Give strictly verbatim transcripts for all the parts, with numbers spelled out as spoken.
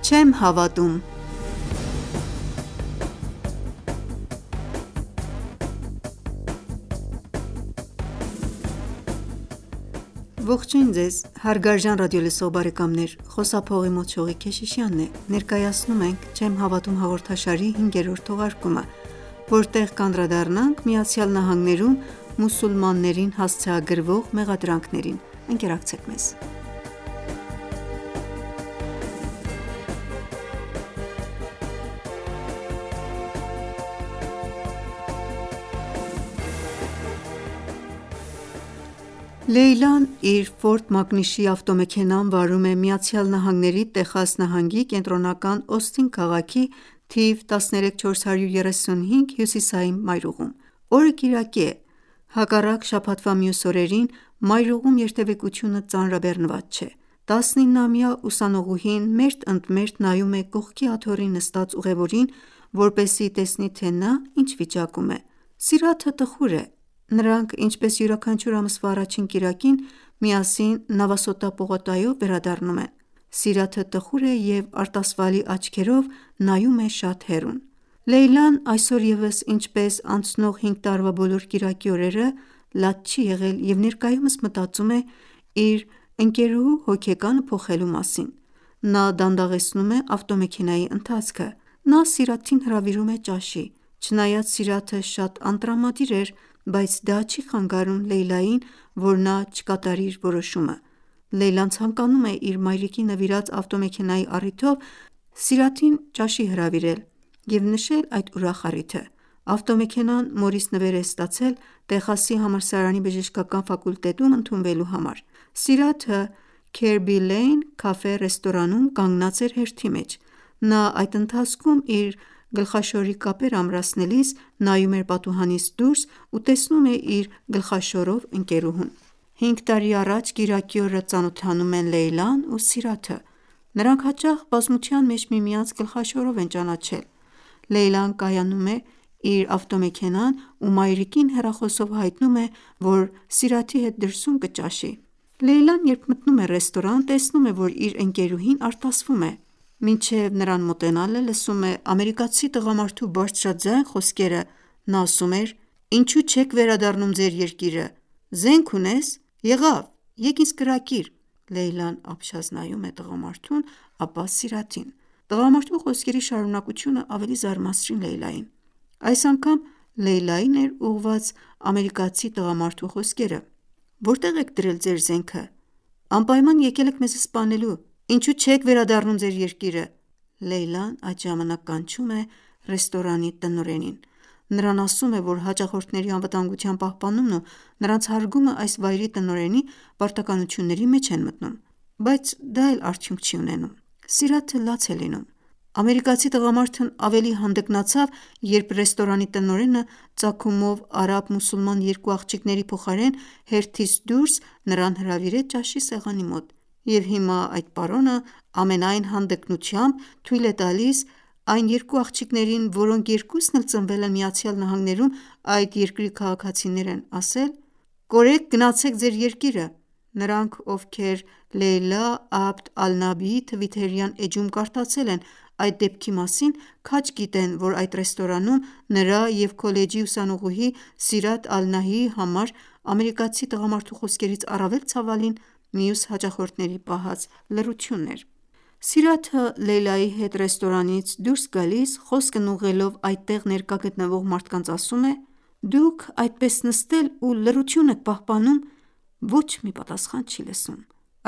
Չեմ հավատում։ Ողջույն ձեզ հարգարժան ռադիոլսող բարեկամներ, խոսափողի մոտ Շողիկ Քեշիշյանն է։ Ներկայացնում ենք «Չեմ հավատում» հաղորդաշարի հինգերորդ թողարկումը, որտեղ կանդրադառնանք ԱՄՆ-ում մուսուլմաններին հասցեագրվող մեղադրանքներին։ Ընկերակցեք մեզ։ Լեյլան իր Ֆորդ Մակնիշի ավտոմեքենան վարում է ԱՄՆ-ի Տեխաս նահանգի կենտրոնական Օստին քաղաքի թիվ տասներեք չորսյոթ երեսունհինգ հյուսիսային մայրուղում։ Օրը կիրակի է։ Հակառակ շաբաթվա մյուս օրերին մայրուղում երթևեկությունը ծանրաբեռնված չէ։ տասնիննամյա ուսանողուհին մերթ ընդ մերթ նայում է կողքի աթոռին նստած ուղևորին, որպեսզի տեսնի, թե նա ինչ վիճակում է։ Սիրաթը տխուր է։ Նրանք, ինչպես յուրաքանչյուր ամսվա առաջին կիրակին, միասին Նավասոտա պողոտայով վերադառնում են։ Սիրաթը տխուր է և արտասվալի աչքերով նայում է շատ հեռուն։ Լեյլան այսօր ևս, ինչպես անցնող հինգ տարվա բոլոր կիրակի օրերը, լաց չի եղել և ներկայումս մտածում է իր ընկերուհու հոգեկանը փոխելու մասին։ Նա դանդաղեցնում է ավտոմեքենայի ընթացքը։ Նա Սիրաթին հրավիրում է ճաշի։ Չնայած Սիրաթը շատ անտրամադիր էր, բայց դա չի խանգարում Լեյլային, որ նա չկատարի իր որոշումը։ Լեյլան ցանկանում է իր մայրիկի նվիրած ավտոմեքենայի առիթով Սիրաթին ճաշի հրավիրել և նշել այդ ուրախ առիթը։ Ավտոմեքենան մորից նվեր է ստացել Տեխասի համալսարանի բժշկական ֆակուլտետում ընդունվելու համար։ Սիրաթը Քերբի Լեյն քաֆե-ռեստորանում կանգնած էր հերթի մեջ։ Նա այդ ընթացքում իր գլխաշորի կապեր ամրացնելիս նայում էր պատուհանից դուրս ու տեսնում է իր գլխաշորով ընկերուհուն։ Հինգ տարի առաջ կիրակի օրը ծանոթանում են Լեյլան ու Սիրաթը։ Նրանք հաճախ բազմության մեջ միմյանց գլխաշորով են ճանաչել։ Լեյլան կայանում է իր ավտոմեքենան ու մայրիկին հեռախոսով հայտնում է, որ Սիրաթի հետ դրսում կճաշի։ Լեյլան, երբ մտնում է ռեստորան, տեսնում է, որ իր ընկերուհին արտասվում է։ Մինչև նրան մոտենալը լսում է ամերիկացի տղամարդու բարձրաձայն խոսքերը։ Նա ասում էր. «Ինչու չեք վերադառնում ձեր երկիրը։ Զենք ունե՞ս։ Եղավ, եկ ինձ կրակիր»։ Լեյլան ապշած նայում է տղամարդուն, ապա Սիրաթին։ Տղամարդու խոսքերի շարունակությունը ավելի զարմացրին Լեյլային։ Այս անգամ Լեյլային էր ուղղված ամերիկացի տղամարդու խոսքերը։ «Որտե՞ղ եք դրել ձեր զենքը։ Անպայման եկել եք մեզ սպանելու։ Ինչու չեք վերադառնում ձեր երկիրը»։ Լեյլան այդ ժամանակ կանչում է ռեստորանի տնօրենին։ Նրան ասում է, որ հաճախորդների անվտանգության պահպանումն ու նրանց հարգումը այս վայրի տնօրենի պարտականությունների մեջ են մտնում։ Բայց դա էլ արդյունք չի ունենում։ Սիրաթը լաց է լինում։ Ամերիկացի տղամարդն ավելի հանդգնացավ, երբ ռեստորանի տնօրենը ծագումով արաբ-մուսուլման երկու աղջիկների փոխարեն հերթից դուրս նրան հրավիրեց ճաշի սեղանի մոտ։ Եվ հիմա այդ պարոնը ամենայն հանդգնությամբ թույլ է տալիս այն երկու աղջիկներին, որոնք երկուսն էլ ծնվել են ԱՄՆ-ում, այդ երկրի քաղաքացիներ են, ասել. «Կորեք գնացեք ձեր երկիրը»։ Նրանք, ովքեր Լեյլա Աբդ Ալ-Նաբիի թվիթերյան էջում կարդացել են այդ դեպքի մասին, քաջ գիտեն, որ այդ ռեստորանում նրա և քոլեջի ուսանողուհի Սիրաթ Ալ-Նահիի համար ամերիկացի տղամարդու խոսքերից առավել ցավալին մյուս հաճախորդների պահած լռությունն էր։ Սիրաթը Լեյլայի հետ ռեստորանից դուրս գալիս, խոսքն ուղղելով այդտեղ ներկա գտնվող մարդկանց ասում է. «Դուք այդպես նստել ու լռություն եք պահպանում»։ Ոչ մի պատասխան չի լսում։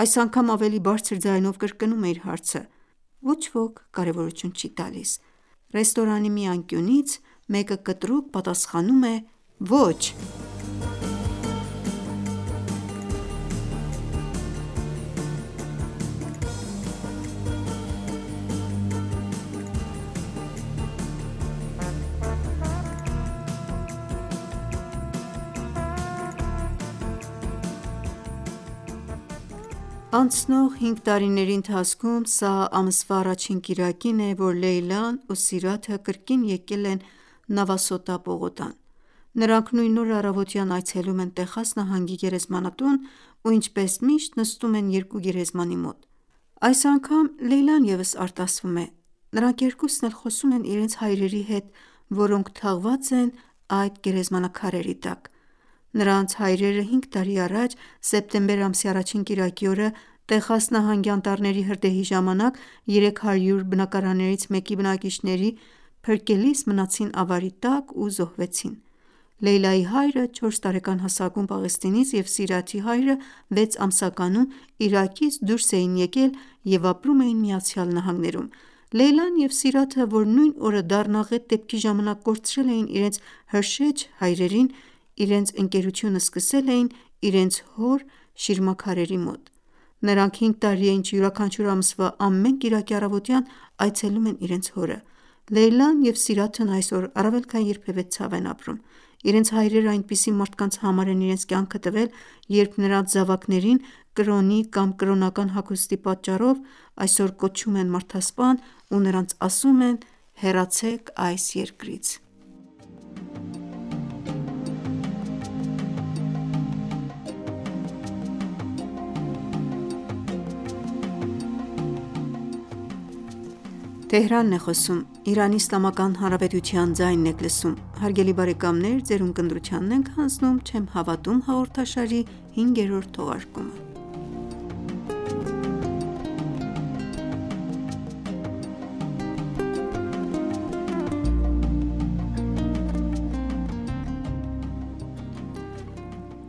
Այս անգամ ավելի բարձր ձայնով կրկնում է իր հարցը։ Ոչ ոք կարևորություն չի տալիս։ Ռեստորանի մի անկյունից մեկը կտրուկ պատասխանում է. «Ոչ»։ Անցնող հինգ տարիների ընթացքում սա ամսվա առաջին կիրակին է, որ Լեյլան ու Սիրաթը կրկին եկել են Նավասոտա պողոտան։ Նրանք նույն օրը առավոտյան այցելում են Տեխաս նահանգի գերեզմանատուն ու ինչպես միշտ նստում են երկու գերեզմանի մոտ։ Այս անգամ Լեյլան ևս արտասվում է։ Նրանք երկուսն էլ խոսում են իրենց հայրերի հետ, որոնք թաղված են այդ գերեզմանակարերի տակ։ Նրանց հայրերը հինգ տարի առաջ սեպտեմբեր ամսի առաջին կիրակի օրը Տեխաս նահանգի անտառների հրդեհի ժամանակ երեք հարյուր բնակարաններից մեկի բնակիչների փրկելիս մնացին ավարի տակ ու զոհվեցին։ Լեյլայի հայրը չորս տարեկան հասակում Պաղեստինից և Սիրաթի հայրը վեց ամսականում Իրաքից դուրս էին եկել և ապրում էին ԱՄՆ-ում։ Լեյլան և Սիրաթը, որ նույն օրը դառնաղետ դեպքի ժամանակ կորցրել էին իրենց հրշեջ հայրերին, իրենց ընկերությունը սկսել էին իրենց հոր շիրմաքարերի մոտ։ Նրանք հինգ տարի է ինչ յուրաքանչյուր ամսվա ամեն կիրակի առավոտյան այցելում են իրենց հորը։ Լեյլան և Սիրաթն այսօր առավել քան երբևէ ցավ են ապրում։ Իրենց հայրերը այնպիսի մարդկանց համար են իրենց կյանքը տվել, երբ նրանց զավակներին կրոնի կամ կրոնական հագուստի պատճառով այսօր կոչում են մարդասպան ու նրանց ասում են հեռացեք այս երկրից։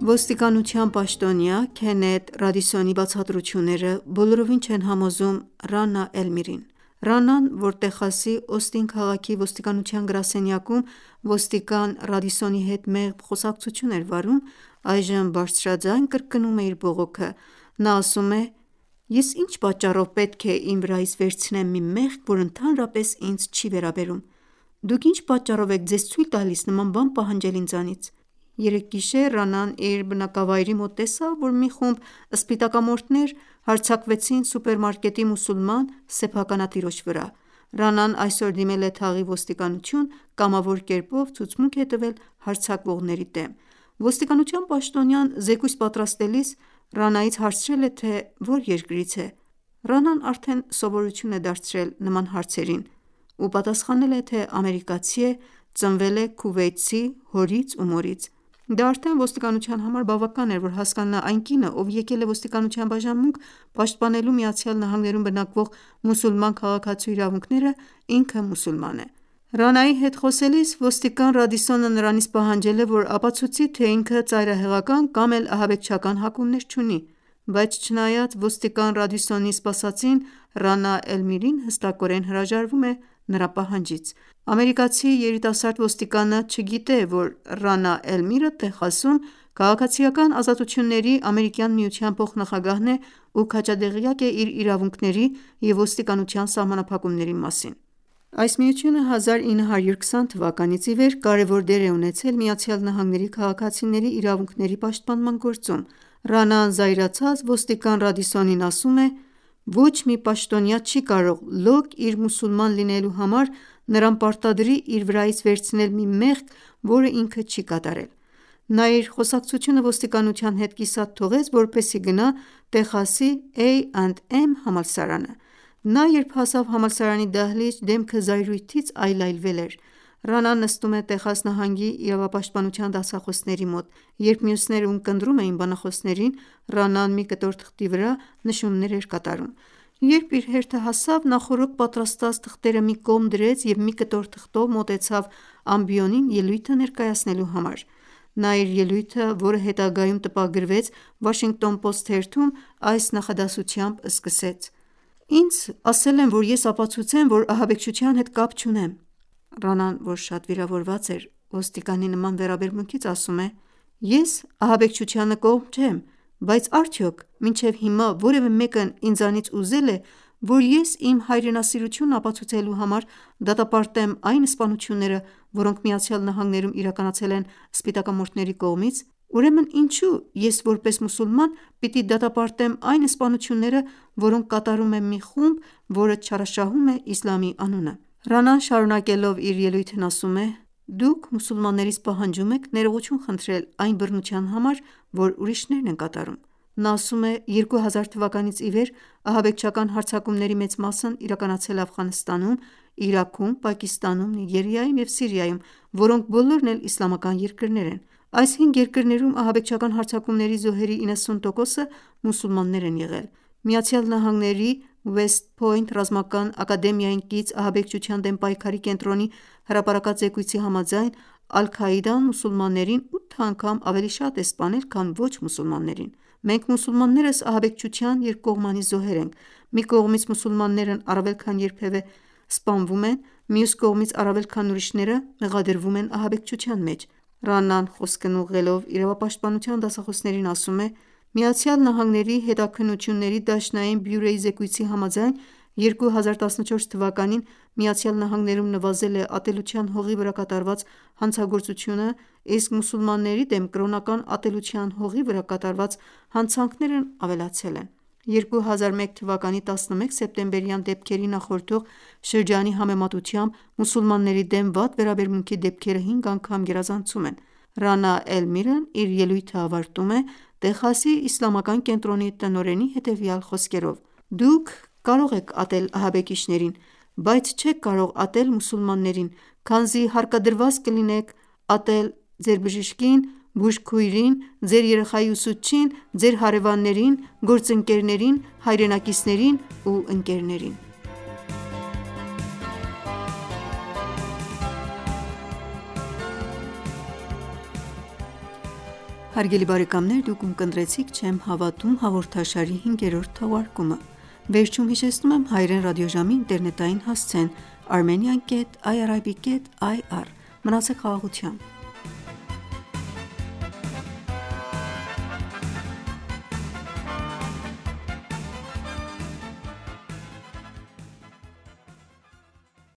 Ոստիկանության պաշտոնյա Քենեթ Ռադիսոնի բացատրությունները բոլորովին չեն համոզում Ռանա Էլմիրին։ Ռանան, որ Տեխասի Օստին քաղաքի ոստիկանության գրասենյակում ոստիկան Ռադիսոնի հետ մեղմ խոսակցություն էր վարում, այժմ բարձրաձայն կրկնում է իր բողոքը։ Նա ասում է. «Ես ինչ պատճառով պետք է իմ վրայից վերցնեմ մի մեղք, որ ընդհանրապես ինձ չի վերաբերում։ Դուք ինչ պատճառով եք ձեզ ցույլ տալիս նման բան պահանջել ինձանից»։ Երեկ գիշեր Ռանան իր բնակավայրի մոտ տեսավ, որ մի խումբ սպիտակամորթներ հարձակվեցին սուպերմարկետի մուսուլման սեփականատիրոջ վրա։ Ռանան այսօր դիմել է թաղի ոստիկանություն կամավոր կերպով ցուցմունք է տվել հարձակվողների դեմ։ Ոստիկանության պաշտոնյան զեկույց պատրաստելիս Ռանայից հարցրել է, թե որ երկրից է։ Ռանան արդեն սովորություն է դարձրել նման հարցերին ու պատասխանել է, թե ամերիկացի է, ծնվել է քուվեյթցի հորից ու մորից։ Դա արդեն ոստիկանության համար բավական էր, որ հասկանա այն կինը, ով եկել է ոստիկանության բաժանմունք պաշտպանելու ԱՄՆ-ում բնակվող մուսուլման քաղաքացու իրավունքները, ինքը մուսուլման է։ Ռանայի հետ խոսելիս ոստիկան Ռադիսոնը նրանից պահանջել է, որ ապացուցի, թե ինքը ծայրահեղական կամ էլ ահաբեկչական հակումներ չունի, բայց չնայած ոստիկան Ռադիսոնի սպասածին, Ռանա Էլմիրին հստակորեն հրաժարվում է նրա պահանջից։ Ամերիկացի երիտասարդ ոստիկանը չգիտե, որ Ռանա Էլմիրը Տեխասում Քաղաքացիական ազատությունների ամերիկյան միության փոխնախագահն է ու քաջադեղյակ է իր իրավունքների և ոստիկանության սահմանափակումների մասին։ Այս միությունը հազար ինը հարյուր քսան թվականից ի վեր կարևոր դեր է ունեցել ԱՄՆ-ի քաղաքացիների իրավունքների պաշտպանման գործում։ Ռանան զայրացած ոստիկան Ռադիսոնին ասում է. «Ոչ մի պաշտոնյա չի կարող լոկ իր մուսուլման լինելու համար նրան պարտադրի իր վրայից վերցնել մի մեղք, որը ինքը չի կատարել»։ Նա իր խոսակցությունը ոստիկանության հետ կիսատ թողեց, որպեսզի գնա Տեխասի Էյ էնդ Էմ համալսարանը։ Նա երբ հասավ համալսարանի դահլիճ, դեմքը զայրույթից այլայլվել էր։ Ռանան նստում է Տեխաս նահանգի իրավապաշտպանության դասախոսների մոտ։ Երբ մյուսները ունկնդրում էին բանախոսներին, Ռանան մի կտոր թղթի վրա նշումներ էր կատարում։ Երբ իր հերթը հասավ, նախօրոք պատրաստած թղթերը մի կողմ դրեց և մի կտոր թղթով մոտեցավ ամբիոնին ելույթը ներկայացնելու համար։ Նա իր ելույթը, որը հետագայում տպագրվեց Washington Post թերթում, այս նախադասությամբ սկսեց. «Ինձ ասել են, որ ես ապացուցեմ, որ ահաբեկչության հետ կապ չունեմ»։ Ռանան, որ շատ վիրավորված էր, ոստիկանի նման վերաբերմունքից ասում է. «Ես ահաբեկչությանը կողմ չեմ, բայց արդյոք մինչև հիմա որևէ մեկն ինձանից ուզել է, որ ես իմ հայրենասիրությունն ապացուցելու համար դատապարտեմ այն սպանությունները, որոնք ԱՄՆ-ում իրականացել են սպիտակամորթների կողմից։ Ուրեմն ինչո՞ւ ես որպես մուսուլման պիտի դատապարտեմ այն սպանությունները, որոնք կատարում է մի խումբ, որը չարաշահում է իսլամի անունը»։ Ռանան շարունակելով իր ելույթն ասում է. Դուք մուսուլմաններից պահանջում եք ներողություն խնդրել այն բռնության համար, որ ուրիշներն են կատարում: Նա ասում է. «երկու հազար թվականից ի վեր ահաբեկչական հարձակումների մեծ մասն իրականացել է Աֆղանստանում, Իրաքում, Պակիստանում, Նիգերիայում և Սիրիայում, որոնք բոլորն էլ իսլամական երկրներ են: Այս հինգ երկրներում ահաբեկչական հարձակումների զոհերի իննսուն տոկոսը մուսուլմաններ են եղել»: ԱՄՆ-ի West Point ռազմական ակադեմիային կից ահաբեկչության դեմ պայքարի կենտրոնի հրապարակած զեկույցի համաձայն, Ալ-Քաիդան մուսուլմաններին ութ անգամ ավելի շատ է սպանել, քան ոչ մուսուլմաններին: «Մենք մուսուլմաններս ահաբեկչության երկկողմանի զոհեր ենք: Մի կողմից մուսուլմաններն առավել քան երբևէ սպանվում են, մյուս կողմից առավել քան ուրիշները մեղադրվում են ահաբեկչության մեջ»: Ռանան խոսքն ուղղելով իրավապաշտպանության դասախոսներին ասում է. «ԱՄՆ-ի հետաքննությունների դաշնային բյուրոյի զեկույցի համաձայն, երկու հազար տասնչորս թվականին ԱՄՆ-ում նվազել է ատելության հողի վրա կատարված հանցագործությունը, իսկ մուսուլմանների դեմ կրոնական ատելության հողի վրա կատարված հանցանքներն ավելացել են: երկու հազար մեկ թվականի տասնմեկ սեպտեմբերյան դեպքերի նախորդող շրջանի համեմատությամբ մուսուլմանների դեմ վատ վերաբերմունքի դեպքերը հինգ անգամ գերազանցում են»: Ռանա Էլ-Միրն իր ելույթը ավարտում է Տեխասի իսլամական կենտրոնի տնօրենի հետևյալ խոսքերով. «Դուք կարող եք ատել ահաբեկիչներին, բայց չեք կարող ատել մուսուլմաններին, քանզի հարկադրված կլինեք ատել ձեր բժշկին, բուժքույրին, ձեր երեխայի ուսուցչին, ձեր հարևաններին, գործընկերներին, հայրենակիցներին ու ընկերներին»: Հարգելի բարեկամներ դուք ունկնդրեցիք «Չեմ հավատում» հաղորդաշարի հինգերորդ թողարկումը: Վերջում հիշեցնում եմ հայրեն ռադիոժամի ինտերնետային հասցեն armenian ket irib ket ir: Մնացեք խաղաղությամբ: